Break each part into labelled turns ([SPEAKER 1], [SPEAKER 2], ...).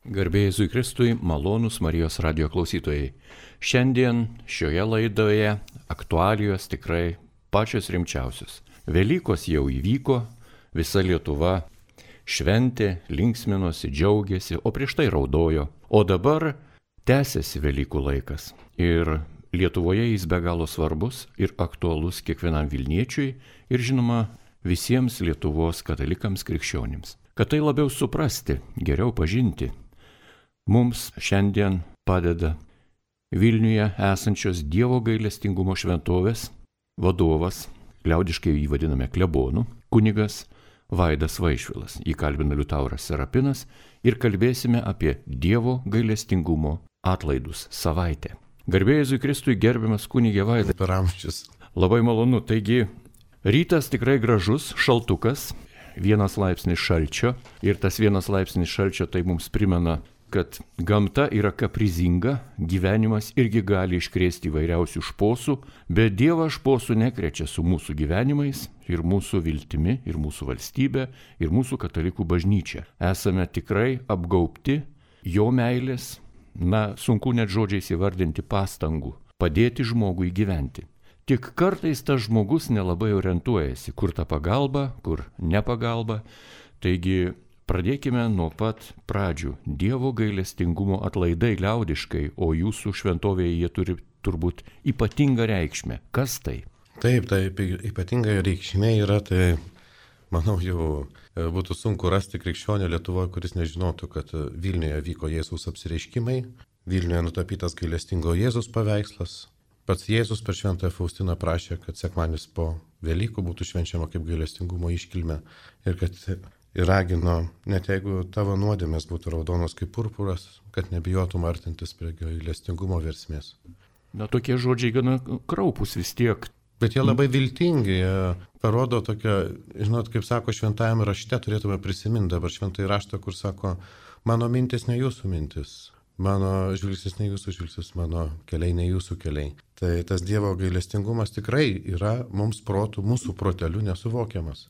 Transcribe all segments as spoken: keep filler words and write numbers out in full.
[SPEAKER 1] Garbė Jėzui Kristui, malonūs Marijos radijo klausytojai. Šiandien šioje laidoje aktualijos tikrai pačios rimčiausios. Velykos jau įvyko, visa Lietuva šventė, linksminosi, džiaugiasi, o prieš tai raudojo. O dabar tęsiasi Velykų laikas. Ir Lietuvoje jis be galo svarbus ir aktualus kiekvienam Vilniečiui ir žinoma visiems Lietuvos katalikams krikščionims. Kad tai labiau suprasti, geriau pažinti, mums šiandien padeda Vilniuje esančios Dievo gailestingumo šventovės vadovas, liaudiškai jį vadiname klebonu, kunigas Vaidas Vaišvilas. Jį kalbina Liutauras Serapinas ir kalbėsime apie Dievo gailestingumo atlaidus savaitę. Garbė Jėzui Kristui, gerbiamas kunigė Vaidai.
[SPEAKER 2] Per amžius.
[SPEAKER 1] Labai malonu. Taigi, rytas tikrai gražus, šaltukas, vienas laipsnis šalčio ir tas vienas laipsnis šalčio tai mums primena, kad gamta yra kaprizinga, gyvenimas irgi gali iškrėsti įvairiausių šposų, bet Dievas šposų nekrečia su mūsų gyvenimais ir mūsų viltimi, ir mūsų valstybė, ir mūsų katalikų bažnyčia. Esame tikrai apgaubti jo meilės, na, sunku net žodžiais įvardinti pastangų, padėti žmogui gyventi. Tik kartais tas žmogus nelabai orientuojasi, kur ta pagalba, kur ne pagalba. Taigi, pradėkime nuo pat pradžių. Dievo gailestingumo atlaidai liaudiškai, o jūsų šventovėje jie turi turbūt ypatingą reikšmę. Kas tai?
[SPEAKER 2] Taip, taip, ypatinga reikšmė yra, tai manau jau būtų sunku rasti krikščionio Lietuvoje, kuris nežinotų, kad Vilniuje vyko Jėzaus apsireiškimai, Vilniuje nutapytas gailestingo Jėzaus paveikslas. Pats Jėzus per šventąją Faustiną prašė, kad sekmadienis po Velykų būtų švenčiama kaip gailestingumo iškilmė ir kad ir ragino, net jeigu tavo nuodėmės būtų raudonos kaip purpuras, kad nebijotum artintis prie gailestingumo versmės.
[SPEAKER 1] Na, tokie žodžiai gana kraupus vis tiek.
[SPEAKER 2] Bet jie labai viltingi, jie parodo tokią, žinot, kaip sako šventajame rašte, turėtume prisiminti dabar šventąjį raštą, kur sako, mano mintis ne jūsų mintis, mano žvilgsnis ne jūsų žvilgsnis, mano keliai ne jūsų keliai. Tai tas Dievo gailestingumas tikrai yra mums protų, mūsų protelių nesuvokiamas.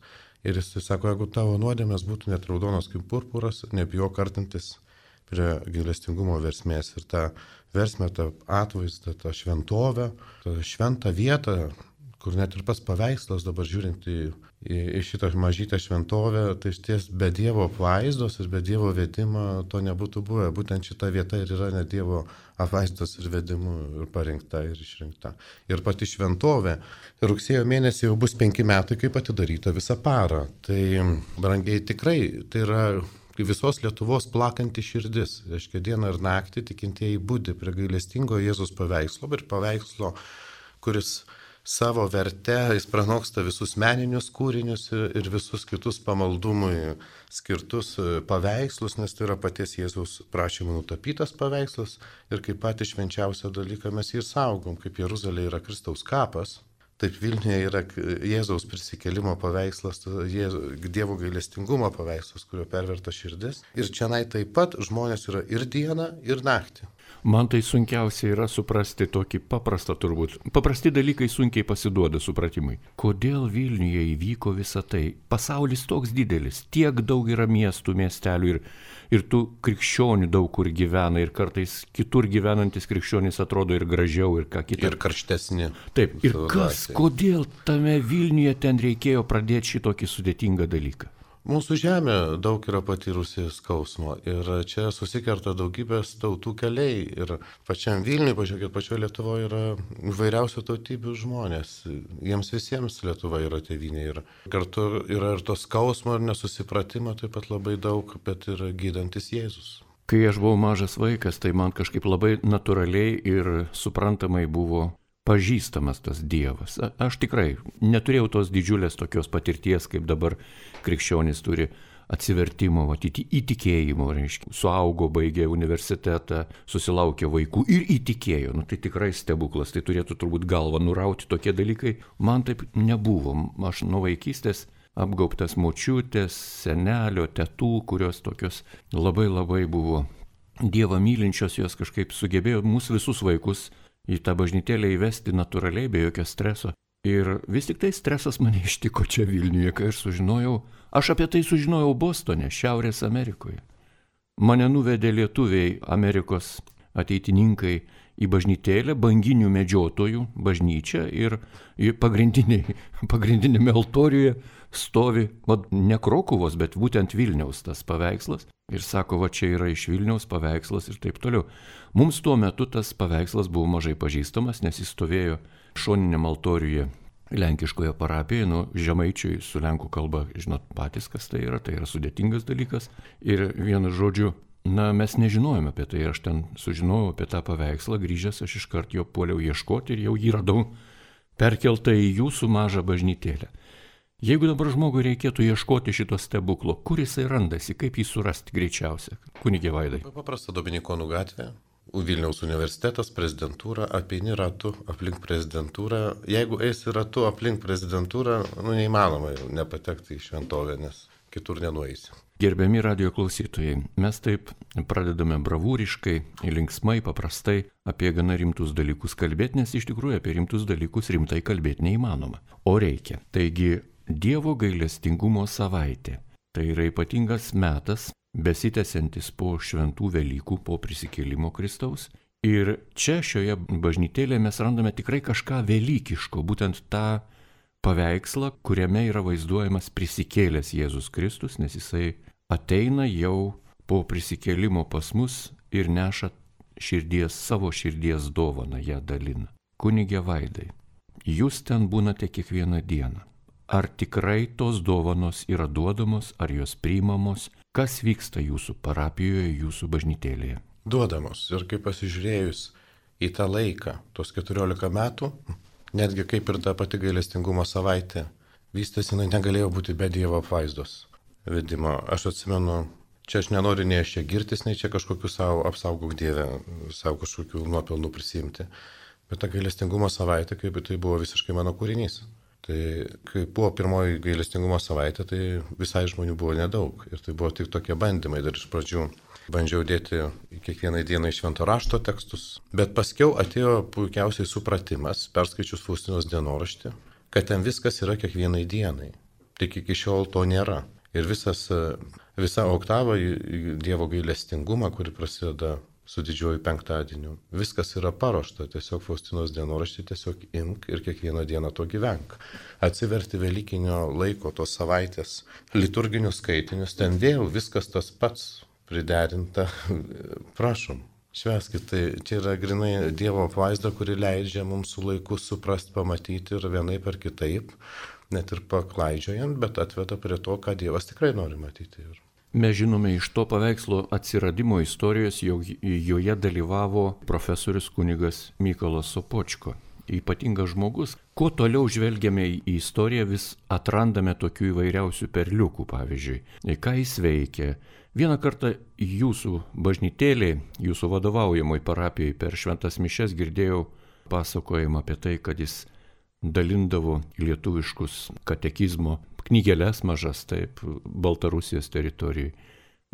[SPEAKER 2] Ir jis sako, jeigu tavo nuodėmės būtų net raudonos kaip purpuras, nebijok artintis prie gailestingumo versmės. Ir tą versmę, tą atvaizdą, tą šventovę, tą šventą vietą, kur net ir pas paveikslas dabar žiūrint į, į, į šitą mažytę šventovę, tai šties be Dievo apvaizdos ir be Dievo vedimo to nebūtų buvę. Būtent šita vieta ir yra net Dievo apvaizdos ir vedimų ir parinkta ir išrinkta. Ir pati šventovė rugsėjo mėnesį jau bus penki metai, kaip atidaryta visą parą. Tai, brangiai, tikrai tai yra visos Lietuvos plakanti širdis. Reiškia, dieną ir naktį tikintieji budi prie gailestingo Jėzaus paveikslo ir paveikslo, kuris savo verte jis pranoksta visus meninius kūrinius ir visus kitus pamaldumui skirtus paveikslus, nes tai yra paties Jėzaus prašymų nutapytas paveikslas ir kaip patį švenčiausią dalyką mes jį saugom, kaip Jeruzalė yra Kristaus kapas. Taip Vilniuje yra Jėzaus prisikėlimo paveikslas, Dievo gailestingumo paveikslas, kurio perverta širdis. Ir čionai taip pat žmonės yra ir dieną, ir naktį.
[SPEAKER 1] Man tai sunkiausia yra suprasti tokį paprastą turbūt. Paprasti dalykai sunkiai pasiduoda supratimui. Kodėl Vilniuje įvyko visa tai? Pasaulis toks didelis, tiek daug yra miestų, miestelių ir, ir tų krikščionių daug kur gyvena ir kartais kitur gyvenantis krikščionys atrodo ir gražiau ir ką kitą.
[SPEAKER 2] Ir karštesni.
[SPEAKER 1] Taip, ir kas, kodėl tame Vilniuje ten reikėjo pradėti šitokį sudėtingą dalyką?
[SPEAKER 2] Mūsų žemė daug yra patyrusi skausmo ir čia susikerta daugybės tautų keliai ir pačiam Vilniui, pažiūrėkit, pačioje Lietuvoje yra įvairiausių tautybių žmonės. Jiems visiems Lietuva yra tėvynė ir kartu yra ir to skausmo ir nesusipratimo taip pat labai daug, bet ir gydantis Jėzus.
[SPEAKER 1] Kai aš buvau mažas vaikas, tai man kažkaip labai natūraliai ir suprantamai buvo pažįstamas tas Dievas. Aš tikrai neturėjau tos didžiulės tokios patirties, kaip dabar krikščionys turi atsivertimo, matyti, įtikėjimo, reiškia. Suaugo, baigė universitetą, susilaukė vaikų ir įtikėjo. Nu, tai tikrai stebuklas, tai turėtų turbūt galvą nurauti tokie dalykai. Man taip nebuvo. Aš nuo vaikystės apgaubtas močiutės, senelio, tetų, kurios tokios labai labai buvo Dievą mylinčios, jos kažkaip sugebėjo mūsų visus vaikus į tą bažnytėlę įvesti natūraliai, be jokio streso. Ir vis tik tai stresas mane ištiko čia Vilniuje, kai aš sužinojau, aš apie tai sužinojau Bostone, Šiaurės Amerikoje. Mane nuvedė lietuviai, Amerikos ateitininkai į bažnytėlę, banginių medžiotojų bažnyčią ir pagrindinėme altoriuje stovi, va, ne Krokuvos, bet būtent Vilniaus tas paveikslas. Ir sako, va čia yra iš Vilniaus paveikslas ir taip toliau. Mums tuo metu tas paveikslas buvo mažai pažįstamas, nes jis stovėjo šoniniam altoriuje lenkiškoje parapijoje, nu, žemaičiui su lenkų kalba, žinot patys, kas tai yra, tai yra sudėtingas dalykas. Ir vienu žodžiu, na, mes nežinojome apie tai, aš ten sužinojau apie tą paveikslą, grįžęs aš iškart jo puoliau ieškoti ir jau jį radau perkeltą į jūsų mažą bažnytėlę. Jeigu dabar žmogui reikėtų ieškoti šito stebuklo, kur jisai randasi, kaip jį surasti greičiausia, kunige Vaidai?
[SPEAKER 2] Paprasta Dominikonų gatvė, Vilniaus universitetas, prezidentūra, apeini ratu aplink prezidentūrą. Jeigu eisi ratu aplink prezidentūrą, nu neįmanoma nepatekti į šventovę, nes kitur nenueisi.
[SPEAKER 1] Gerbiami radijo klausytojai, mes taip pradedame bravūriškai, linksmai, paprastai apie gana rimtus dalykus kalbėti, nes iš tikrųjų apie rimtus dalykus rimtai kalbėti neįmanoma, o reikia. Taigi, Dievo gailestingumo savaitė. Tai yra ypatingas metas, besitęsiantis po šventų Velykų, po prisikėlimo Kristaus. Ir čia šioje bažnytėlėje mes randame tikrai kažką velykiško, būtent tą paveikslą, kuriame yra vaizduojamas prisikėlęs Jėzus Kristus, nes jisai ateina jau po prisikėlimo pas mus ir neša širdies, savo širdies dovaną, ją dalina. Kunige Vaidai, jūs ten būnate kiekvieną dieną. Ar tikrai tos dovanos yra duodamos, ar jos priimamos? Kas vyksta jūsų parapijoje, jūsų bažnytėlėje?
[SPEAKER 2] Duodamos. Ir kaip pasižiūrėjus į tą laiką, tos keturiolika metų, netgi kaip ir ta pati gailestingumo savaitė, vystėsi, jinai negalėjo būti be Dievo apvaizdos vedimo. Aš atsimenu, čia aš nenoriu nei aš čia girtis, nei čia kažkokiu savo apsaugok Dievę, savo kažkokių nuopelnų prisimti. Bet ta gailestingumo savaitė, kaip tai buvo visiškai mano kūrinys. Tai kai buvo pirmoji gailestingumo savaitė, tai visai žmonių buvo nedaug. Ir tai buvo tik tokie bandymai. Dar iš pradžių bandžiau dėti kiekvieną dieną iš švento rašto tekstus. Bet paskiau atėjo puikiausiai supratimas, perskaičius Faustinos dienoraštį, kad ten viskas yra kiekvienai dienai. Tik iki šiol to nėra. Ir visas, visa oktava į Dievo gailestingumą, kuri prasideda su didžiuoju penktadieniu. Viskas yra paruošta, tiesiog Faustinos dienoraštį tiesiog imk ir kiekvieną dieną to gyvenk. Atsiverti velykinio laiko, tos savaitės, liturginius skaitinius, ten vėl viskas tas pats priderinta. Prašom, švęskit, tai čia yra grinai Dievo apvaizda, kuri leidžia mums su laiku suprasti, pamatyti ir vienaip ar kitaip, net ir paklaidžiojant, bet atveda prie to, ką Dievas tikrai nori matyti.
[SPEAKER 1] Mes žinome iš to paveikslo atsiradimo istorijos, jog joje dalyvavo profesorius kunigas Mykolas Sopočko. Ypatingas žmogus. Kuo toliau žvelgiame į istoriją, vis atrandame tokių įvairiausių perliukų, pavyzdžiui. Ką jis veikia? Vieną kartą jūsų bažnytėlėje, jūsų vadovaujamoj parapijai per šventas mišias girdėjau pasakojimą apie tai, kad jis dalindavo lietuviškus katekizmo knygeles mažas, taip, Baltarusijos teritorijoje.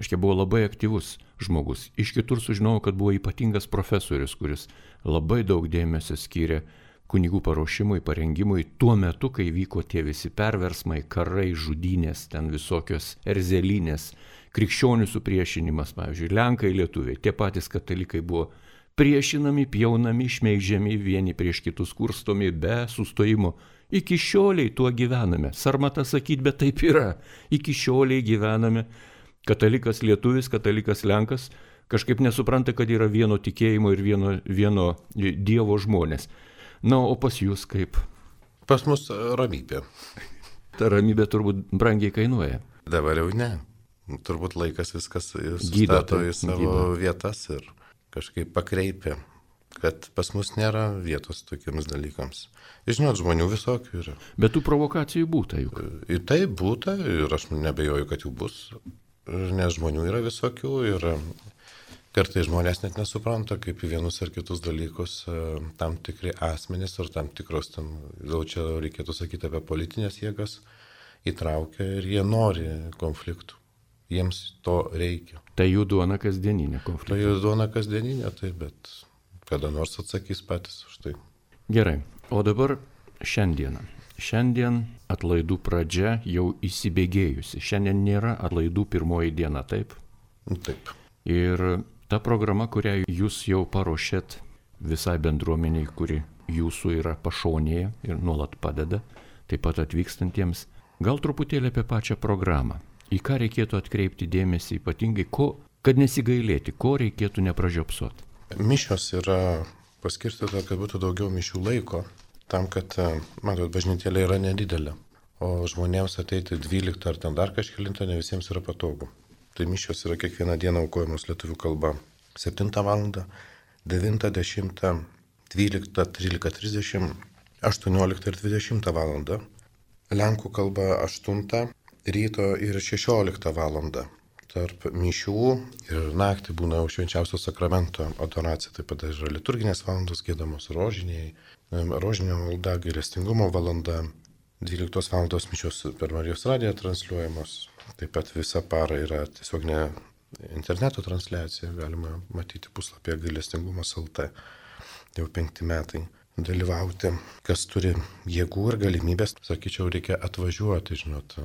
[SPEAKER 1] Aiškiai, buvo labai aktyvus žmogus. Iš kitur sužinojau, kad buvo ypatingas profesorius, kuris labai daug dėmesio skyrė kunigų paruošimui, parengimui tuo metu, kai vyko tie visi perversmai, karai, žudynės, ten visokios erzelinės, krikščionių supriešinimas, pavyzdžiui, lenkai, lietuviai, tie patys katalikai buvo priešinami, pjaunami, šmeižiami, vieni prieš kitus kurstomi be sustojimo. Iki šioliai tuo gyvename. Sarmata sakyt, bet taip yra. Iki šioliai gyvename. Katalikas lietuvis, katalikas lenkas kažkaip nesupranta, kad yra vieno tikėjimo ir vieno, vieno Dievo žmonės. Na, o pas jūs kaip?
[SPEAKER 2] Pas mus ramybė.
[SPEAKER 1] Ta ramybė turbūt brangiai kainuoja.
[SPEAKER 2] Dabar jau ne. Turbūt laikas viskas sustato į savo gydo. Vietas ir kažkaip pakreipia, kad pas mus nėra vietos tokiems dalykams. Žinot, žmonių visokių yra.
[SPEAKER 1] Bet tų provokacijų būta juk.
[SPEAKER 2] Ir tai būta ir aš nebejoju, kad jų bus. Nes žmonių yra visokių ir kartais žmonės net nesupranta, kaip į vienus ar kitus dalykus tam tikri asmenys ar tam tikros, tam, gal čia reikėtų sakyti apie politinės jėgas, įtraukia ir jie nori konfliktų. Jiems to reikia.
[SPEAKER 1] Tai jų duona kasdieninė konfliktas.
[SPEAKER 2] Tai jų duona kasdieninė, tai bet kada nors atsakys patys už tai.
[SPEAKER 1] Gerai, o dabar šiandieną. Šiandien atlaidų pradžia jau įsibėgėjusi. Šiandien nėra atlaidų pirmoji diena, taip?
[SPEAKER 2] Taip.
[SPEAKER 1] Ir ta programa, kurią jūs jau paruošėt visai bendruomeniai, kuri jūsų yra pašonėje ir nuolat padeda, taip pat atvykstantiems, gal truputėlį apie pačią programą. Į ką reikėtų atkreipti dėmesį ypatingai, ko, kad nesigailėti, ko reikėtų nepražiopsoti.
[SPEAKER 2] Mišios yra paskirstyta, kad būtų daugiau mišių laiko, tam, kad, matot, bažnytėlė yra nedidelė, o žmonėms ateiti dvyliktą ar ten dar kažkelintą ne visiems yra patogu. Tai mišios yra kiekvieną dieną aukojamos lietuvių kalba. septintą valandą, devintą, dešimtą, dvyliktą, tryliktą trisdešimt, aštuonioliktą ir dvidešimtą valandą. Lenkų kalba aštuntą ryto ir šešioliktą valandą. Tarp mišių ir naktį būna švenčiausio sakramento adoracija, taip pat yra liturginės valandos giedamos rožiniai, rožinio malda, gailestingumo valanda, dvyliktos valandos mišios per Marijos radiją transliuojamos. Taip pat visą parą yra tiesiog ne interneto transliacija, galima matyti puslapyje gailestingumas taškas el tė, jau penkti metai dalyvauti. Kas turi jėgų ir galimybės, sakyčiau, reikia atvažiuoti, žinot,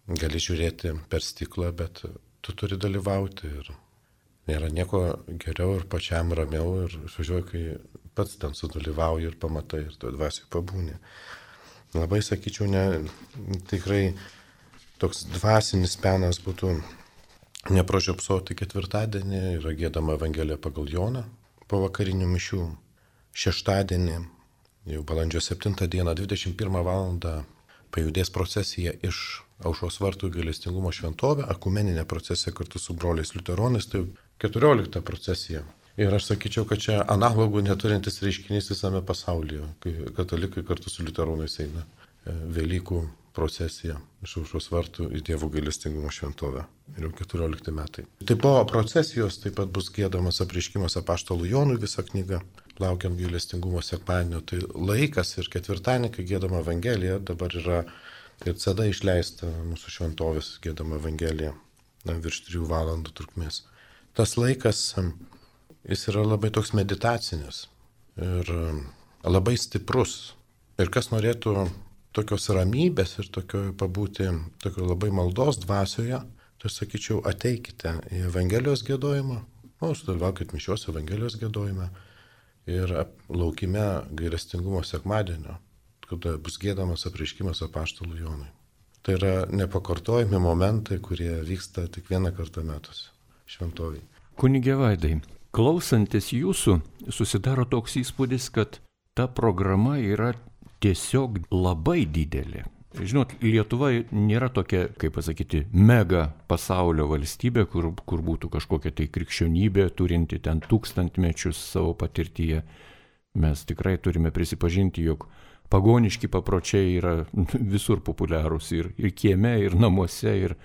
[SPEAKER 2] gali žiūrėti per stiklą, bet tu turi dalyvauti ir nėra nieko geriau ir pačiam ramiau ir išvažiuoju, kai pats ten sudalyvauji ir pamatai ir tu dvasiai pabūni. Labai, sakyčiau, ne, tikrai toks dvasinis penas būtų nepražiopsoti ketvirtadienį, yra giedama Evangelija pagal Joną po vakarinių mišių. Šeštadienį, jau balandžio septintą dieną, dvidešimt pirmą valandą pajudės procesija iš Aušros vartų į gailestingumo šventovę, ekumeninė procesija kartu su broliais liuteronais, tai keturiolikta procesija. Ir aš sakyčiau, kad čia analogų neturintis reiškinys visame pasaulyje, kai katalikai kartu su liuteronais eina Velykų procesija iš Aušros vartų į Dievo gailestingumo šventovę. Ir jau keturiolikti metai. Taip po procesijos taip pat bus giedamas apreiškimas apaštalų Jonui visą knygą, laukiant gailestingumo sekmadienio. Tai laikas ir ketvirtadienį, kai giedama Evangelija, dabar yra ir ceda išleista mūsų šventovės giedama Evangelija, na, virš trijų valandų trukmės. Tas laikas, jis yra labai toks meditacinis ir labai stiprus. Ir kas norėtų tokios ramybės ir tokio pabūti, tokio labai maldos dvasioje, tai sakyčiau, ateikite į Evangelijos giedojimą, o sudalyvaukit mišios Evangelijos giedojime ir laukime gailestingumo sekmadienio, kada bus giedamas apreiškimas apaštalų Jonui. Tai yra nepakartojami momentai, kurie vyksta tik vieną kartą metuose šventovėje.
[SPEAKER 1] Kunige Vaidai, klausantis jūsų, susidaro toks įspūdis, kad ta programa yra tiesiog labai didelė. Žinot, Lietuva nėra tokia, kaip pasakyti, mega pasaulio valstybė, kur, kur būtų kažkokia tai krikščionybė, turinti ten tūkstantmečius savo patirtyje. Mes tikrai turime prisipažinti, jog pagoniški papročiai yra visur populiarūs ir, ir kieme, ir namuose, ir,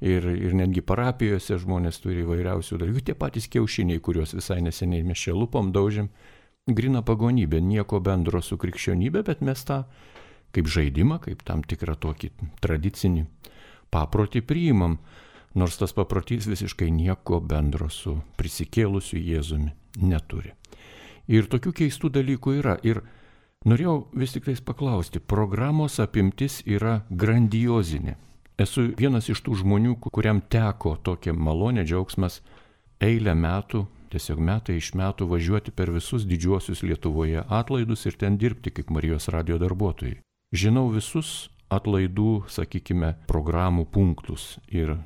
[SPEAKER 1] ir, ir netgi parapijose žmonės turi įvairiausių dalykų. Tie patys kiaušiniai, kuriuos visai neseniai mes čia lupom, daužėm. Grina pagonybė, nieko bendro su krikščionybė, bet mes tą kaip žaidimą, kaip tam tikrą tokį tradicinį paprotį priimam, nors tas paprotys visiškai nieko bendro su prisikėlusiu Jėzumi neturi. Ir tokių keistų dalykų yra. Ir norėjau vis tik tais paklausti, programos apimtis yra grandiozinė. Esu vienas iš tų žmonių, kuriam teko tokia malonė, džiaugsmas eilę metų, tiesiog metai iš metų važiuoti per visus didžiuosius Lietuvoje atlaidus ir ten dirbti kaip Marijos radijo darbuotojai. Žinau visus atlaidų, sakykime, programų punktus ir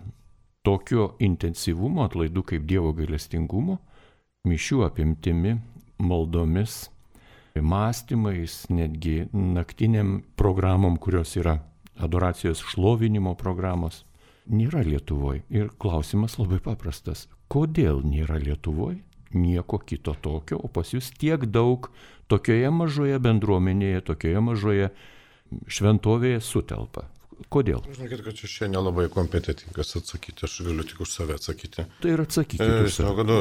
[SPEAKER 1] tokio intensyvumo atlaidų kaip Dievo gailestingumo, mišių apimtimi, maldomis, mąstymais, netgi naktiniam programom, kurios yra adoracijos šlovinimo programos, nėra Lietuvoje. Ir klausimas labai paprastas. Kodėl nėra Lietuvoje nieko kito tokio, o pas jūs tiek daug tokioje mažoje bendruomenėje, tokioje mažoje šventovėje sutelpa? Kodėl?
[SPEAKER 2] Žinokit, kad čia šiandien nelabai kompetitingas atsakyti, aš galiu tik už save atsakyti.
[SPEAKER 1] Tai ir atsakyti.
[SPEAKER 2] E, žinau, kad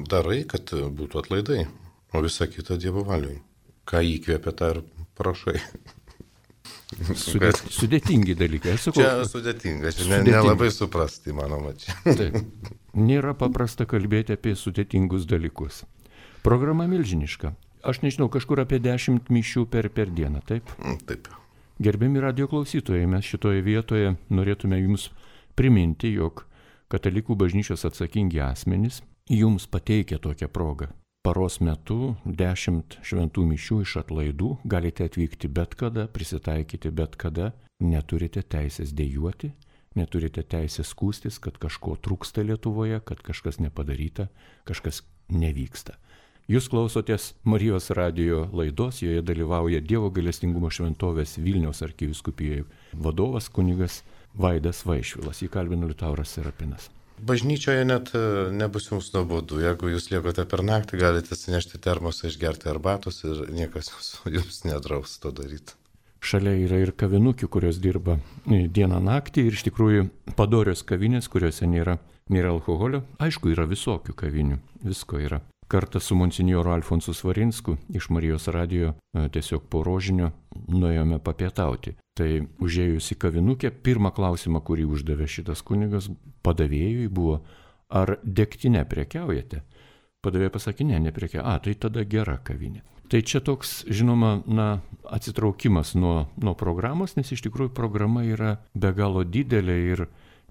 [SPEAKER 2] darai, kad būtų atlaidai, o visa kita Dievo valiui. Ką įkvėpia, tą ir prašai.
[SPEAKER 1] Sudėt, sudėtingi dalykai. Aš sakau,
[SPEAKER 2] čia sudėtinga, čia sudėtingi. Nelabai suprasti, manoma, čia.
[SPEAKER 1] Taip. Nėra paprasta kalbėti apie sudėtingus dalykus. Programa milžiniška. Aš nežinau, kažkur apie dešimt mišių per, per dieną, taip?
[SPEAKER 2] Taip.
[SPEAKER 1] Gerbiami radijo klausytojai, mes šitoje vietoje norėtume jums priminti, jog Katalikų bažnyčios atsakingi asmenys jums pateikia tokią progą. Paros metu dešimt šventų mišių iš atlaidų, galite atvykti bet kada, prisitaikyti bet kada, neturite teisės dejuoti, neturite teisės skųstis, kad kažko trūksta Lietuvoje, kad kažkas nepadaryta, kažkas nevyksta. Jūs klausotės Marijos radijo laidos, joje dalyvauja Dievo gailestingumo šventovės Vilniaus arkivyskupijoje vadovas kunigas Vaidas Vaišvilas. Jį kalbino Liutauras Serapinas.
[SPEAKER 2] Bažnyčioje net nebus jums nuobodu. Jeigu jūs liekote per naktį, galite atsinešti termosą, išgerti arbatos ir niekas jums nedraus to daryti.
[SPEAKER 1] Šalia yra ir kavinukių, kurios dirba dieną naktį ir iš tikrųjų padorios kavinės, kuriuose nėra, nėra alkoholio. Aišku, yra visokių kavinių, visko yra. Kartą su monsinjoru Alfonsu Svarinsku iš Marijos radijo tiesiog po rožinio nuėjome papietauti. Tai užėjus į kavinukę, pirmą klausimą, kurį uždavė šitas kunigas padavėjui, buvo, ar degtinę prekiaujate? Padavėja pasakė, ne, neprekiauja. A, tai tada gera kavinė. Tai čia toks, žinoma, na, atsitraukimas nuo, nuo programos, nes iš tikrųjų programa yra be galo didelė ir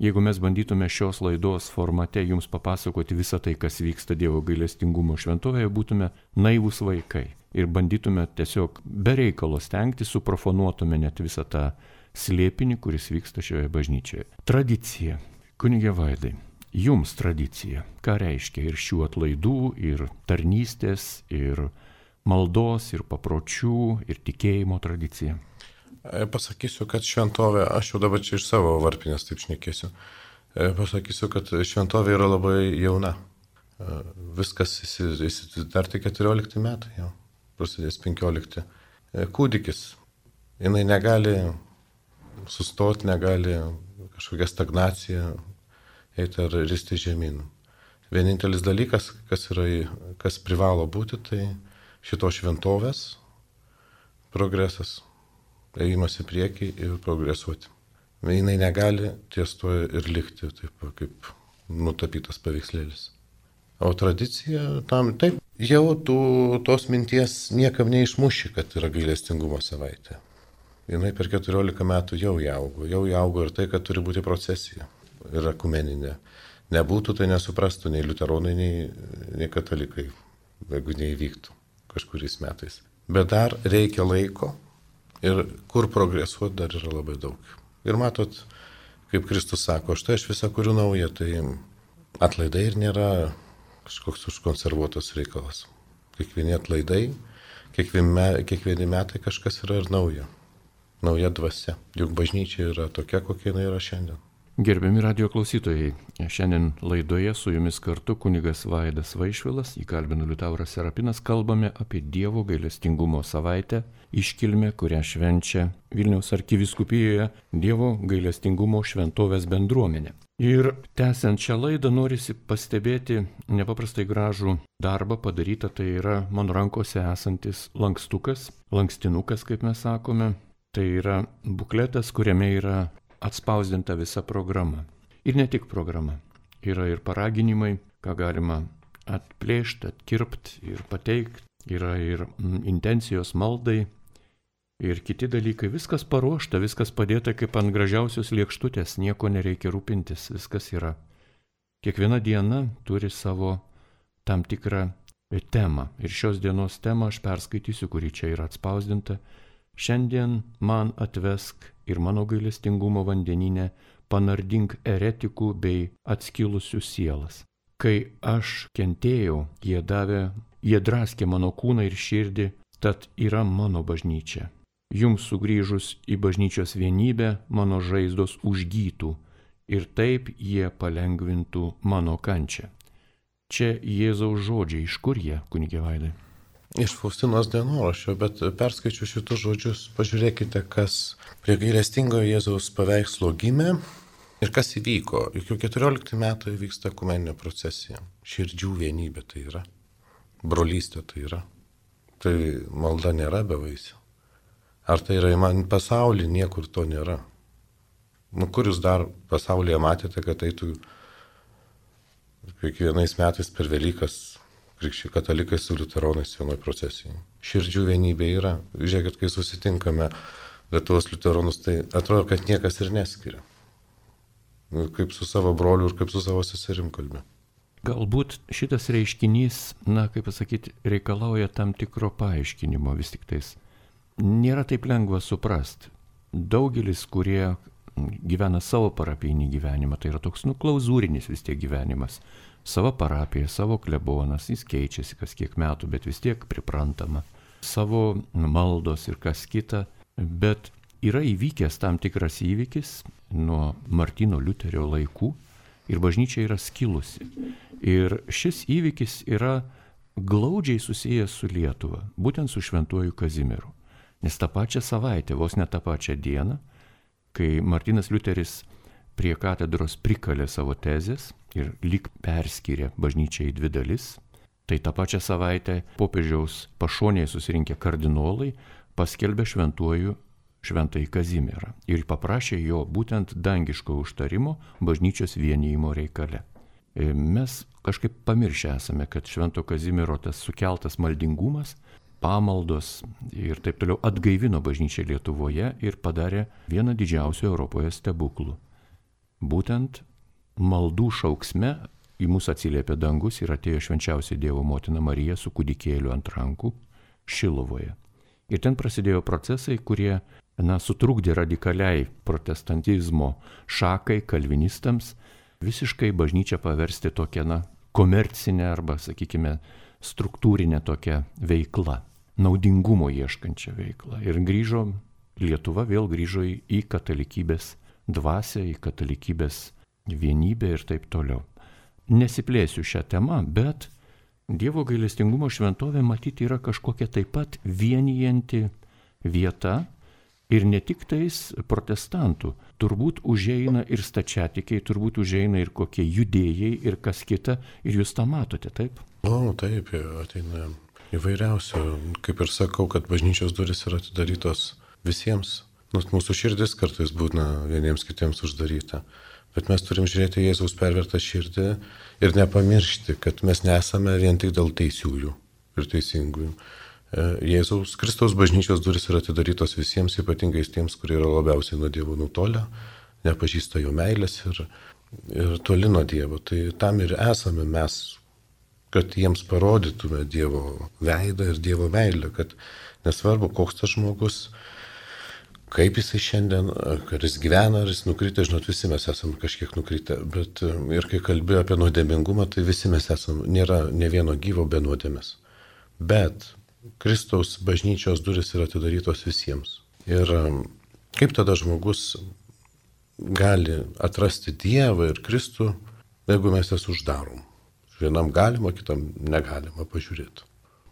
[SPEAKER 1] jeigu mes bandytume šios laidos formate jums papasakoti visą tai, kas vyksta Dievo gailestingumo šventovėje, būtume naivūs vaikai ir bandytume tiesiog be reikalo stengti, suprofanuotume net visą tą slėpinį, kuris vyksta šioje bažnyčioje. Tradicija. Kunige Vaidai, jums tradicija. Ką reiškia ir šių atlaidų, ir tarnystės, ir maldos, ir papročių, ir tikėjimo tradicija?
[SPEAKER 2] Pasakysiu, kad šventovė, aš jau dabar čia iš savo varpinės taip šnekėsiu, pasakysiu, kad šventovė yra labai jauna. Viskas dar tik keturiolikti metai, jau prasidės penkiolikti. Kūdikis, jinai negali sustoti, negali kažkokia stagnacija eiti ar risti žemyn. Vienintelis dalykas, kas, yra, kas privalo būti, tai šito šventovės progresas. Ėjimas į priekį ir progresuoti. Jinai negali ties to ir likti, taip kaip nutapytas paveikslėlis. O tradicija tam, taip, jau tų, tos minties niekam neišmuši, kad yra gailestingumo savaitė. Jinai per keturiolika metų jau įaugo, jau įaugo ir tai, kad turi būti procesija ir ekumeninė. Nebūtų, tai nesuprastų nei liuteronai, nei, nei katalikai, jeigu neįvyktų kažkuriais metais. Bet dar reikia laiko. Ir kur progresuoti dar yra labai daug. Ir matot, kaip Kristus sako, štai aš visą kuriu naują, tai atlaidai ir nėra kažkoks užkonservuotas reikalas. Kiekvieni atlaidai, kiekvieni, kiekvieni metai kažkas yra ir nauja. Nauja dvasia. Juk bažnyčia yra tokia, kokia jinai yra šiandien.
[SPEAKER 1] Gerbiami radijo klausytojai, šiandien laidoje su jumis kartu kunigas Vaidas Vaišvilas, jį kalbino Liutauras Serapinas, kalbame apie Dievo gailestingumo savaitę, iškilmę, kurią švenčia Vilniaus arkivyskupijoje Dievo gailestingumo šventovės bendruomenė. Ir tęsiant šią laidą norisi pastebėti nepaprastai gražų darbą padarytą, tai yra mano rankose esantis lankstukas, lankstinukas, kaip mes sakome, tai yra bukletas, kuriame yra atspausdinta visa programa. Ir ne tik programa. Yra ir paraginimai, ką galima atplėšti, atkirpti ir pateikti. Yra ir intencijos maldai ir kiti dalykai. Viskas paruošta, viskas padėta kaip ant gražiausios lėkštutės. Nieko nereikia rūpintis, viskas yra. Kiekviena diena turi savo tam tikrą temą. Ir šios dienos temą aš perskaitysiu, kuri čia yra atspausdinta. Šiandien man atvesk ir mano gailestingumo vandeninę panardink eretikų bei atskilusių sielas. Kai aš kentėjau, jie davė, jie draskė mano kūną ir širdį, tad yra mano bažnyčia. Jums sugrįžus į bažnyčios vienybę, mano žaizdos užgytų ir taip jie palengvintų mano kančią. Čia Jėzaus žodžiai, iš kur jie, kunige Vaidai?
[SPEAKER 2] Iš Faustinos dienoraščio, bet perskaičiu šitus žodžius, pažiūrėkite, kas prie gailestingojo Jėzaus paveikslo gimė ir kas įvyko. Juk jau keturiolikti metai vyksta ekumeninė procesija. Širdžių vienybė tai yra, brolystė tai yra. Tai malda nėra bevaisė. Ar tai yra man pasaulyje, niekur to nėra. Nu, kur jūs dar pasaulyje matėte, kad eitų kiekvienais metais per Velykas krikščiai katalikai su liuteronais vienoj procesijai. Širdžių vienybė yra. Žiūrėkit, kai susitinkame Lietuvos liuteronus, tai atrodo, kad niekas ir neskiria. Kaip su savo broliu ir kaip su savo seserim kalbė.
[SPEAKER 1] Galbūt šitas reiškinys, na, kaip pasakyti, reikalauja tam tikro paaiškinimo vis tik tais. Nėra taip lengva suprasti. Daugelis, kurie gyvena savo parapijinį gyvenimą, tai yra toks, nu, klauzūrinis vis tiek gyvenimas. Savo parapija, savo klebonas, jis keičiasi kas kiek metų, bet vis tiek priprantama. Savo maldos ir kas kita, bet yra įvykęs tam tikras įvykis nuo Martyno Liuterio laikų ir bažnyčia yra skilusi. Ir šis įvykis yra glaudžiai susijęs su Lietuva, būtent su Šventuoju Kazimieru. Nes tą pačią savaitę, vos ne tą pačią dieną, kai Martynas Liuteris prie katedros prikalė savo tezės ir lyg perskyrė bažnyčią į dvi dalis, tai tą pačią savaitę popiežiaus pašonėje susirinkę kardinolai paskelbė šventuoju Šventąjį Kazimierą ir paprašė jo būtent dangiško užtarimo bažnyčios vienijimo reikale. Mes kažkaip pamiršę esame, kad Švento Kazimiero tas sukeltas maldingumas, pamaldos ir taip toliau atgaivino bažnyčią Lietuvoje ir padarė vieną didžiausių Europoje stebuklų. Būtent maldų šauksme į mus atsiliepė dangus ir atėjo švenčiausia Dievo motina Marija su kūdikėliu ant rankų Šilovoje. Ir ten prasidėjo procesai, kurie, na, sutrukdė radikaliai protestantizmo šakai, kalvinistams, visiškai bažnyčią paversti tokią, na, komercinę arba, sakykime, struktūrinę tokią veiklą, naudingumo ieškančią veiklą. Ir grįžo, Lietuva vėl grįžo į katalikybės dvasią, į katalikybės vienybę ir taip toliau. Nesiplėsiu šią temą, bet Dievo gailestingumo šventovė matyti yra kažkokia taip pat vienijanti vieta ir ne tik tais protestantų. Turbūt užeina ir stačiatikiai, turbūt užeina ir kokie judėjai ir kas kita ir jūs tą matote, taip?
[SPEAKER 2] O, taip, ateina įvairiausių. Kaip ir sakau, kad bažnyčios durys yra atidarytos visiems. Nors mūsų širdis kartais būna vieniems kitiems uždaryta. Bet mes turim žiūrėti Jėzaus pervertą širdį ir nepamiršti, kad mes nesame vien tik dėl teisiųjų ir teisingųjų. Jėzaus Kristaus bažnyčios durys yra atidarytos visiems, ypatingai tiems, kurie yra labiausiai nuo Dievo nutolę, nepažįsta jo meilės ir, ir toli nuo Dievo. Tai tam ir esame mes, kad jiems parodytume Dievo veidą ir Dievo meilę, kad nesvarbu, koks tas žmogus, kaip jisai šiandien, ar jis gyvena, ar jis nukritę, žinot, visi mes esame kažkiek nukritę, bet ir kai kalbėjau apie nuodėmingumą, tai visi mes esame, nėra ne vieno gyvo be nuodėmės. Bet Kristaus bažnyčios durys yra atidarytos visiems. Ir kaip tada žmogus gali atrasti Dievą ir Kristų, jeigu mes jas uždarom? Vienam galima, kitam negalima pažiūrėti.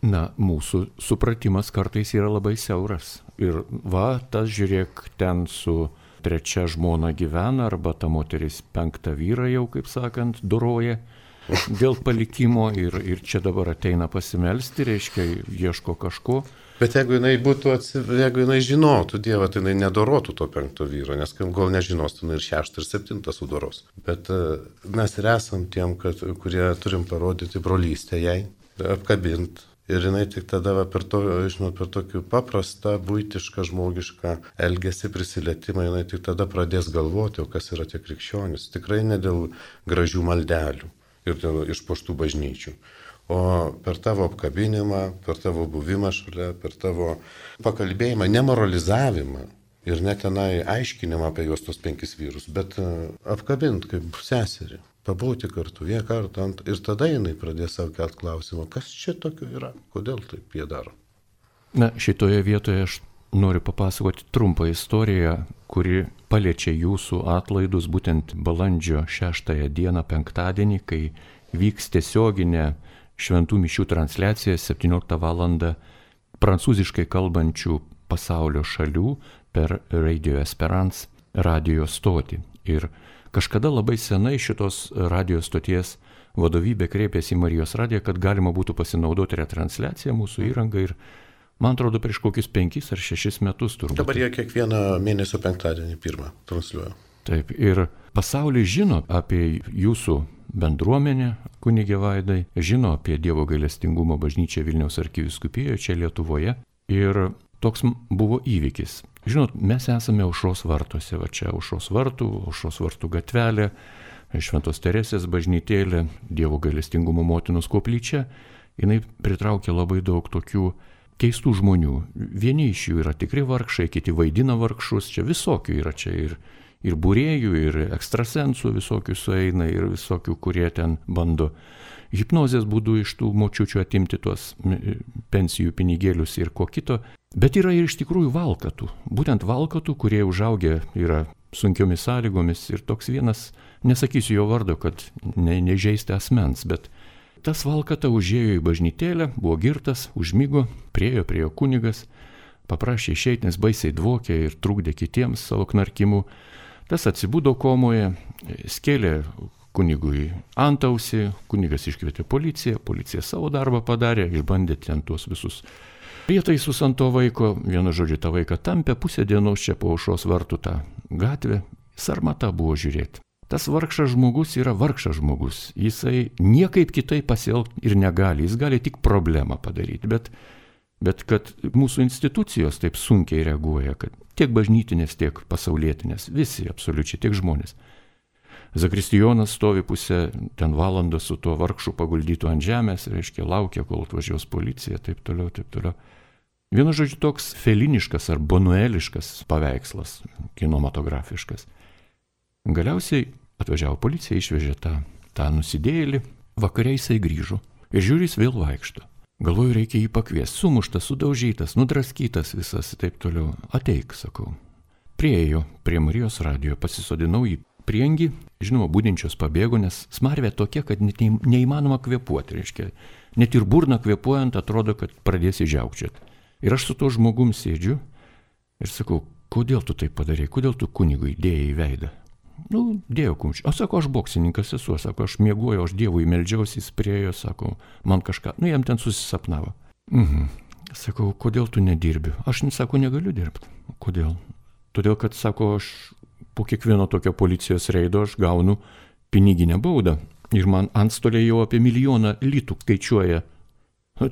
[SPEAKER 1] Na, mūsų supratimas kartais yra labai siauras. Ir va, tas žiūrėk, ten su trečia žmona gyvena, arba ta moteris penktą vyrą jau, kaip sakant, doroja dėl palikimo ir, ir čia dabar ateina pasimelsti, reiškia, ieško kažko.
[SPEAKER 2] Bet jeigu jinai būtų, jeigu jinai žinotų Dievą, tai jinai nedorotų to penkto vyro, nes gal nežinos, tai jinai ir šeštą ir septintą sudoros. Bet mes ir esam tiem, kad, kurie turim parodyti brolystę jai, apkabinti. Ir jinai tik tada va, per, to, žinot, per tokį paprastą, buitišką, žmogišką elgesį, prisilietimą, jinai tik tada pradės galvoti, o kas yra tie krikščionys. Tikrai ne dėl gražių maldelių ir dėl išpuoštų bažnyčių. O per tavo apkabinimą, per tavo buvimą šalia, per tavo pakalbėjimą, nemoralizavimą ir net tenai aiškinimą apie juos tos penkis vyrus, bet apkabint kaip seserį. Pabūti kartu, vieną kartą, ant, ir tada jinai pradės savo kelt klausimą, kas čia tokio yra, kodėl taip jie daro.
[SPEAKER 1] Na, šitoje vietoje aš noriu papasakoti trumpą istoriją, kuri paliečia jūsų atlaidus būtent balandžio šeštąją dieną, penktadienį, kai vyks tiesioginė šventų mišių transliacija septynioliktą valandą prancūziškai kalbančių pasaulio šalių per Radio Esperance radio stotį. Ir kažkada labai senai šitos radio stoties vadovybė kreipėsi į Marijos radiją, kad galima būtų pasinaudoti retransliaciją mūsų įrangą ir, man atrodo, prieš kokius penkis ar šešis metus turbūt.
[SPEAKER 2] Dabar jie kiekvieną mėnesio penktadienį pirmą transliuoja.
[SPEAKER 1] Taip, ir pasaulis žino apie jūsų bendruomenę, kunige Vaidai, žino apie Dievo gailestingumo bažnyčią Vilniaus arkivyskupijoje čia Lietuvoje ir toks buvo įvykis. Žinot, mes esame Aušros vartuose, va čia Aušros vartų, Aušros vartų gatvelė, Šventos Teresės bažnytėlė, Dievo gailestingumo motinos koplyčia, jinai pritraukia labai daug tokių keistų žmonių. Vieni iš jų yra tikri vargšai, kiti vaidina vargšus, čia visokių yra, čia ir, ir būrėjų, ir ekstrasensų visokių sueina, ir visokių, kurie ten bando hipnozės būdu iš tų močiučių atimti tuos pensijų pinigėlius ir ko kito. Bet yra ir iš tikrųjų valkatų, būtent valkatų, kurie užaugę yra sunkiomis sąlygomis ir toks vienas, nesakysiu jo vardo, kad ne, nežeisti asmens, bet tas valkata užėjo į bažnytėlę, buvo girtas, užmigo, priejo prie jo kunigas, paprašė išeiti, nes baisiai dvokė ir trukdė kitiems savo knarkimu. Tas atsibudo komoje, skėlė kunigui antausį, kunigas iškvietė policiją, policija savo darbą padarė, išbandė ten tuos visus prietaisus ant to vaiko, vienu žodžiu tą vaiką tampė, pusę dienos čia po aušros vartų tą gatvę, sarmata buvo žiūrėti. Tas vargšas žmogus yra vargšas žmogus, jisai niekaip kitaip pasielgti ir negali, jis gali tik problemą padaryti, bet, bet kad mūsų institucijos taip sunkiai reaguoja, kad tiek bažnytinės, tiek pasaulietinės, visi absoliučiai, tiek žmonės. Zakristijonas stovi pusę ten valandą su tuo vargšu paguldytu ant žemės, reiškia, laukia, kol atvažiuos policija, taip toliau, taip toliau. Vienu žodžiu, toks feliniškas ar bonueliškas paveikslas, kinematografiškas. Galiausiai atvažiavo policija, išvežė tą, tą nusidėjėlį, vakare jisai grįžo ir žiūri, jis vėl vaikšto. Galvoju, reikia jį pakviesti, sumuštas, sudaužytas, nudraskytas visas, taip toliau. Ateik, sakau. Priėjo prie Marijos radijo, pasisodinau į priengį, žinoma, budinčios pabėgo, nes smarvė tokia, kad net neįmanoma kvėpuoti, reiškia. Net ir burną kvėpuojant atrodo, kad pradėsi žiaukčioti. Ir aš su to žmogum sėdžiu ir sakau, kodėl tu taip padarei, kodėl tu kunigui dėjai į veidą? Nu, dėjau kumščių. O sako, aš boksininkas esu, sako, aš miegoju, aš Dievui meldžiausi, jis priejo, sako, man kažką, nu, jam ten susisapnavo. Mhm. Sakau, kodėl tu nedirbi? Aš, sako, negaliu dirbti. Kodėl? Todėl, kad, sako, aš po kiekvieno tokio policijos reido aš gaunu piniginę baudą. Ir man antstoliai jau apie milijoną litų skaičiuoja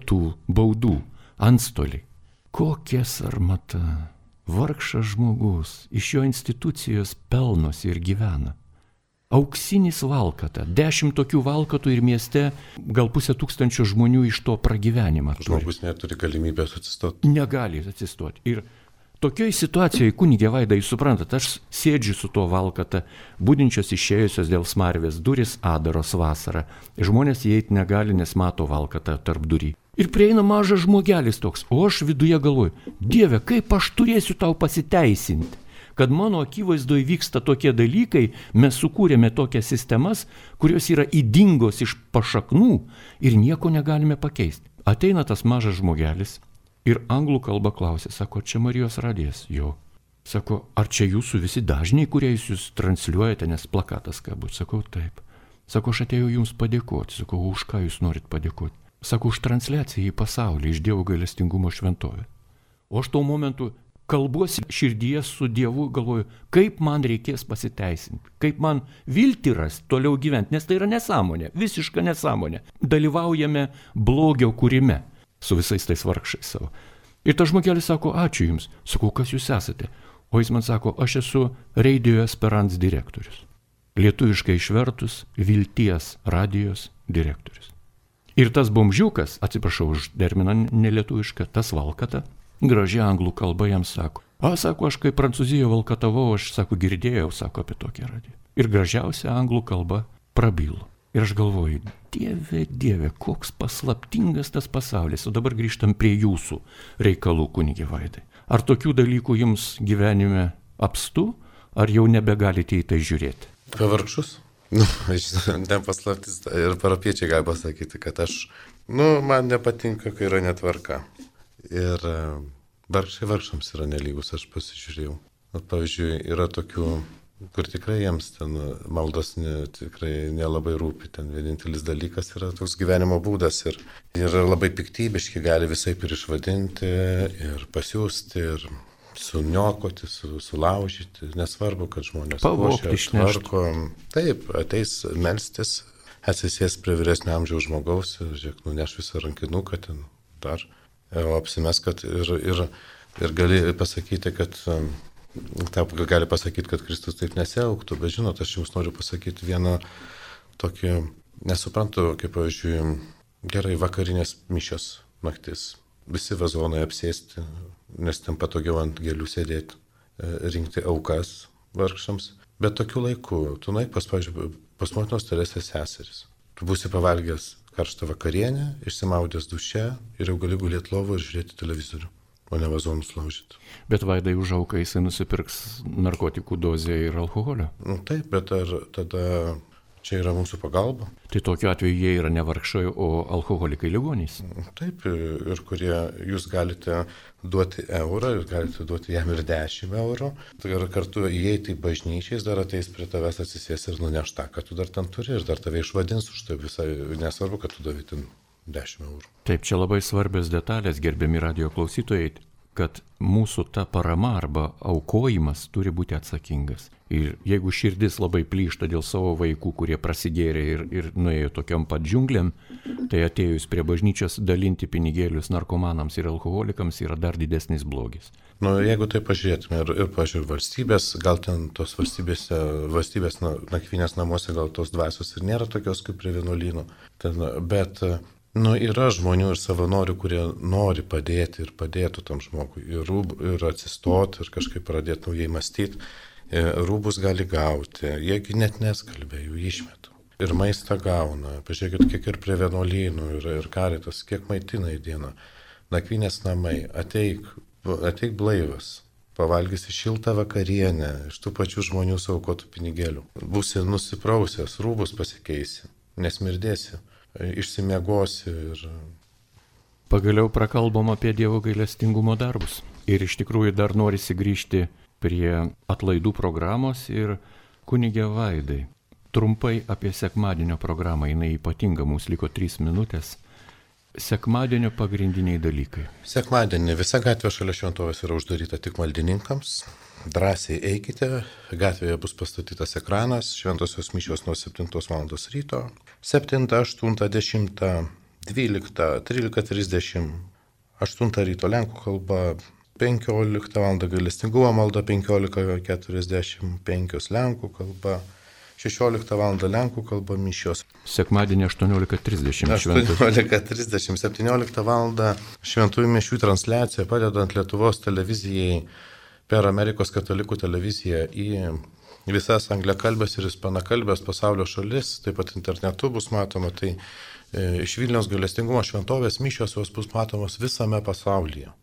[SPEAKER 1] tų baudų. Antstoliai. Kokia sarmata. Vargšas žmogus, iš jo institucijos pelnosi ir gyvena. Auksinis valkata, dešimt tokių valkatų ir mieste gal pusę tūkstančio žmonių iš to pragyvenimą turi.
[SPEAKER 2] Žmogus neturi galimybės atsistoti.
[SPEAKER 1] Negali atsistoti. Ir tokioj situacijoje, kunigė Vaida, jūs suprantat, aš sėdžiu su to valkata, budinčios išėjusios dėl smarvės, duris adaros vasarą. Žmonės įeiti negali, nes mato valkatą tarp durį. Ir prieina mažas žmogelis toks, o aš viduje galvoju, Dieve, kaip aš turėsiu tau pasiteisinti, kad mano akivaizdoje vyksta tokie dalykai, mes sukūrėme tokias sistemas, kurios yra ydingos iš pašaknų ir nieko negalime pakeisti. Ateina tas mažas žmogelis ir anglų kalba klausė, sako, čia Marijos radijas, jo. Sako, ar čia jūsų visi dažniai, kurie jūs transliuojate, nes plakatas kabut, sakau, taip. Sako, aš atėjau jums padėkoti, sakau, už ką jūs norit padėkoti. Sako, už transliaciją į pasaulį, iš Dievo gailestingumo šventovę. O aš tuo momentu kalbuosi širdyje su Dievu, galvoju, kaip man reikės pasiteisinti, kaip man viltį rasti, toliau gyventi, nes tai yra nesąmonė, visiška nesąmonė. Dalyvaujame blogio kūrime su visais tais vargšais savo. Ir tas žmogelis sako, ačiū jums. Sakau, kas jūs esate? O jis man sako, aš esu Radio Esperance direktorius. Lietuviškai išvertus, Vilties radijos direktorius. Ir tas bomžiukas, atsiprašau už terminą nelietuvišką, tas valkata, gražiai anglų kalba jam sako. A, sako, aš kai Prancūzijoje valkatavau, aš, sako, girdėjau, sako, apie tokią radiją. Ir gražiausia anglų kalba prabilo. Ir aš galvoju, Dieve, Dieve, koks paslaptingas tas pasaulis. O dabar grįžtam prie jūsų reikalų, kunigė Vaidai. Ar tokių dalykų jums gyvenime apstu, ar jau nebegalite į tai žiūrėti?
[SPEAKER 2] Apie vargšus? Nu, ten paslaptis ir parapiečiai gali pasakyti, kad aš, nu, man nepatinka, kai yra netvarka. Ir vargšai vargšams yra nelygus, aš pasižiūrėjau. At, pavyzdžiui, yra tokių, kur tikrai jiems ten maldos ne, tikrai nelabai rūpi. Ten vienintelis dalykas yra toks gyvenimo būdas ir yra labai piktybiški, gali visaip ir išvadinti, ir pasiūsti, ir suniokoti, su, sulaužyti. Nesvarbu, kad žmonės
[SPEAKER 1] pavogti,
[SPEAKER 2] tvarko. Taip, ateis melstis, atsisės prie vyresnio amžiaus žmogaus, žiūrėk, nuneš visą rankinuką ten dar. O apsimes, kad ir, ir, ir gali pasakyti, kad Taip gali pasakyti, kad Kristus taip nesielgtų, bet žinot, aš jums noriu pasakyti vieną tokį, nesuprantu, kaip, pavyzdžiui, gerai vakarinės mišios naktis. Visi vazonai apsėsti, nes ten patogiau ant gėlių sėdėti, rinkti aukas vargšams. Bet tokiu laiku, tu nueik pas, pavyzdžiui, pas motinos Teresės seseris. Tu būsi pavalgęs karštą vakarienę, išsimaudęs duše ir jau gali gulėti lovo ir žiūrėti televizorių, o ne vazonus laužyti.
[SPEAKER 1] Bet Vaidai už auką jisai nusipirks narkotikų dozę ir alkoholio.
[SPEAKER 2] Nu, taip, bet ar tada čia yra mūsų pagalba?
[SPEAKER 1] Tai tokiu atveju jie yra ne vargšai, o alkoholikai ligonys.
[SPEAKER 2] Taip, ir kurie jūs galite duoti eurą, jūs galite duoti jam ir dešimt eurų. Ir kartu įeiti į bažnyčiais, dar ateis prie tavęs atsisės ir nuneš tą, kad tu dar ten turi, ir dar tave išvadins už tai visai, nesvarbu, kad tu davai ten dešimt eurų.
[SPEAKER 1] Taip, čia labai svarbios detalės, gerbiami radijo klausytojai, kad mūsų ta parama arba aukojimas turi būti atsakingas. Ir jeigu širdis labai plyšta dėl savo vaikų, kurie prasigėrė ir, ir nuėjo tokiam pat džiunglėm, tai atėjus prie bažnyčios dalinti pinigėlius narkomanams ir alkoholikams yra dar didesnis blogis.
[SPEAKER 2] Nu, jeigu tai pažiūrėtume ir, ir pažiūrėjau, valstybės, gal ten tos valstybėse, valstybės nakvynės namuose gal tos dvasios ir nėra tokios kaip prie vienuolynų, bet nu, yra žmonių ir savanorių, kurie nori padėti ir padėtų tam žmogui, ir, rūb, ir atsistoti, ir kažkaip pradėti naujai mąstyti. Rūbus gali gauti, jiegi net neskalbė, jų išmetų. Ir maistą gauna, pažiūrėkit, kiek ir prie vienuolynų, ir, ir karitas, kiek maitina į dieną. Nakvynės namai, ateik, ateik blaivas, pavalgysi šiltą vakarienę, iš tų pačių žmonių saukotų pinigėlių. Būsi nusiprausęs, rūbus pasikeisi, nesmirdėsi. Išsimiegosi ir...
[SPEAKER 1] Pagaliau prakalbom apie Dievo gailestingumo darbus. Ir iš tikrųjų dar norisi grįžti prie atlaidų programos ir kunige Vaidai. Trumpai apie sekmadienio programą, jinai ypatinga, mums liko trys minutės. Sekmadienio pagrindiniai dalykai.
[SPEAKER 2] Sekmadienį visa gatvė šalia šventovės yra uždaryta tik maldininkams. Drąsiai eikite, gatvėje bus pastatytas ekranas, šventosios mišios nuo septintos valandos ryto, septintą, aštuntą, dešimtą, dvyliktą, trylika trisdešimt, aštuntą ryto lenkų kalba, penkioliktą valandą gailestingumo malda, penkiolika keturiasdešimt penkios lenkų kalba, šešioliktą valandą lenkų kalba mišios.
[SPEAKER 1] Sekmadienį aštuoniolika trisdešimt.
[SPEAKER 2] aštuoniolika trisdešimt, septynioliktą valandą šventųjų mišių transliacija padedant Lietuvos televizijai per Amerikos katalikų televiziją į visas angliakalbės ir ispanakalbės pasaulio šalis, taip pat internetu bus matoma, tai e, iš Vilniaus gailestingumo šventovės mišios jos bus matomos visame pasaulyje.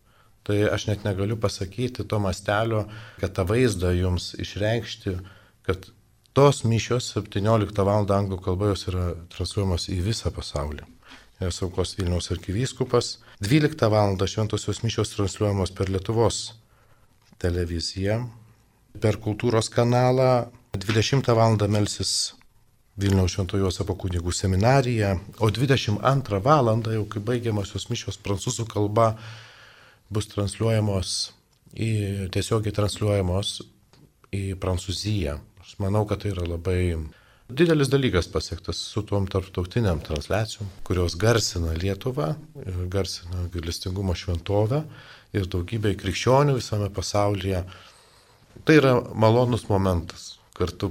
[SPEAKER 2] Tai aš net negaliu pasakyti to mastelio, kad tą vaizdą jums išreikšti, kad tos mišios septynioliktą valandą anglų kalba jos yra transliuojamos į visą pasaulį. Jas aukos Vilniaus arkivyskupas. dvyliktą valandą šventosios mišios transliuojamos per Lietuvos televiziją, per kultūros kanalą, dvidešimtą valandą melsis Vilniaus Šventojo Juozapo kunigų seminarija, o dvidešimt antrą valandą, jau kai baigiamosios mišios prancūzų kalba, bus transliuojamos, į, tiesiogiai transliuojamos į Prancūziją. Aš manau, kad tai yra labai didelis dalykas pasiektas su tom tarptautiniam transliacijom, kurios garsina Lietuvą, garsina gailestingumo šventovę ir daugybė krikščionių visame pasaulyje. Tai yra malonus momentas kartu,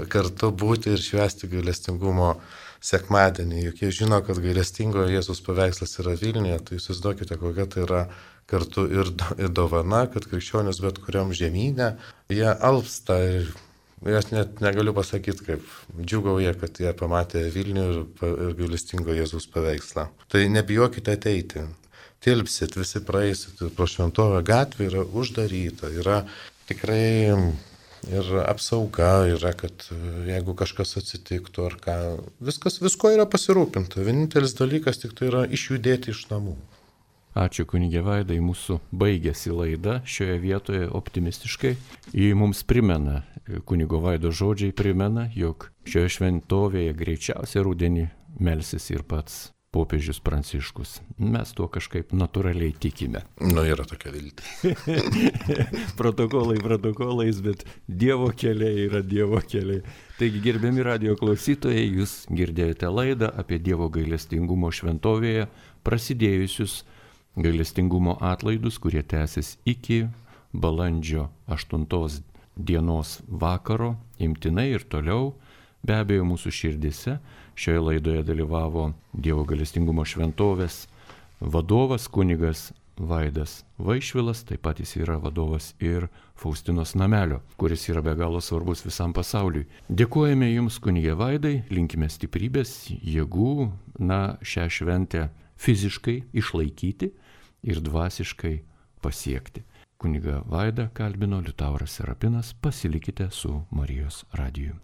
[SPEAKER 2] kartu būti ir švęsti gailestingumo sekmadienį. Juk jie žino, kad gailestingojo Jėzaus paveikslas yra Vilniuje, tai įsivaizduokite, kokia tai yra kartu ir, ir dovana, kad krikščionis bet kuriam žemynė, jie alpsta ir aš net negaliu pasakyti, kaip džiugauja, kad jie pamatė Vilnių ir, ir gailestingo Jėzaus paveikslą. Tai nebijokite ateiti. Tilpsit, visi praeisit, pro šventovę gatvė yra uždaryta, yra tikrai ir apsauga, yra, kad jeigu kažkas atsitiktų ar ką, viskas, visko yra pasirūpinta. Vienintelis dalykas tik tai yra išjudėti iš namų.
[SPEAKER 1] Ačiū kunige Vaidai, mūsų baigėsi laida šioje vietoje optimistiškai. Ji mums primena, kunigo Vaido žodžiai primena, jog šioje šventovėje greičiausiai rudenį melsis ir pats popiežius Pranciškus. Mes tuo kažkaip natūraliai tikime.
[SPEAKER 2] Nu, yra tokia viltis.
[SPEAKER 1] Protokolai protokolais, bet Dievo keliai yra Dievo keliai. Taigi, gerbiami radijo klausytojai, jūs girdėjote laidą apie Dievo gailestingumo šventovėje prasidėjusius gailestingumo atlaidus, kurie tęsis iki balandžio aštuntos dienos vakaro imtinai ir toliau. Be abejo, mūsų širdise šioje laidoje dalyvavo Dievo gailestingumo šventovės vadovas kunigas Vaidas Vaišvilas, taip pat jis yra vadovas ir Faustinos namelio, kuris yra be galo svarbus visam pasauliui. Dėkojame Jums, kunigė Vaidai, linkime stiprybės, jėgų, na, šią šventę fiziškai išlaikyti ir dvasiškai pasiekti. Kunigą Vaidą kalbino Liutauras Serapinas, pasilikite su Marijos radiju.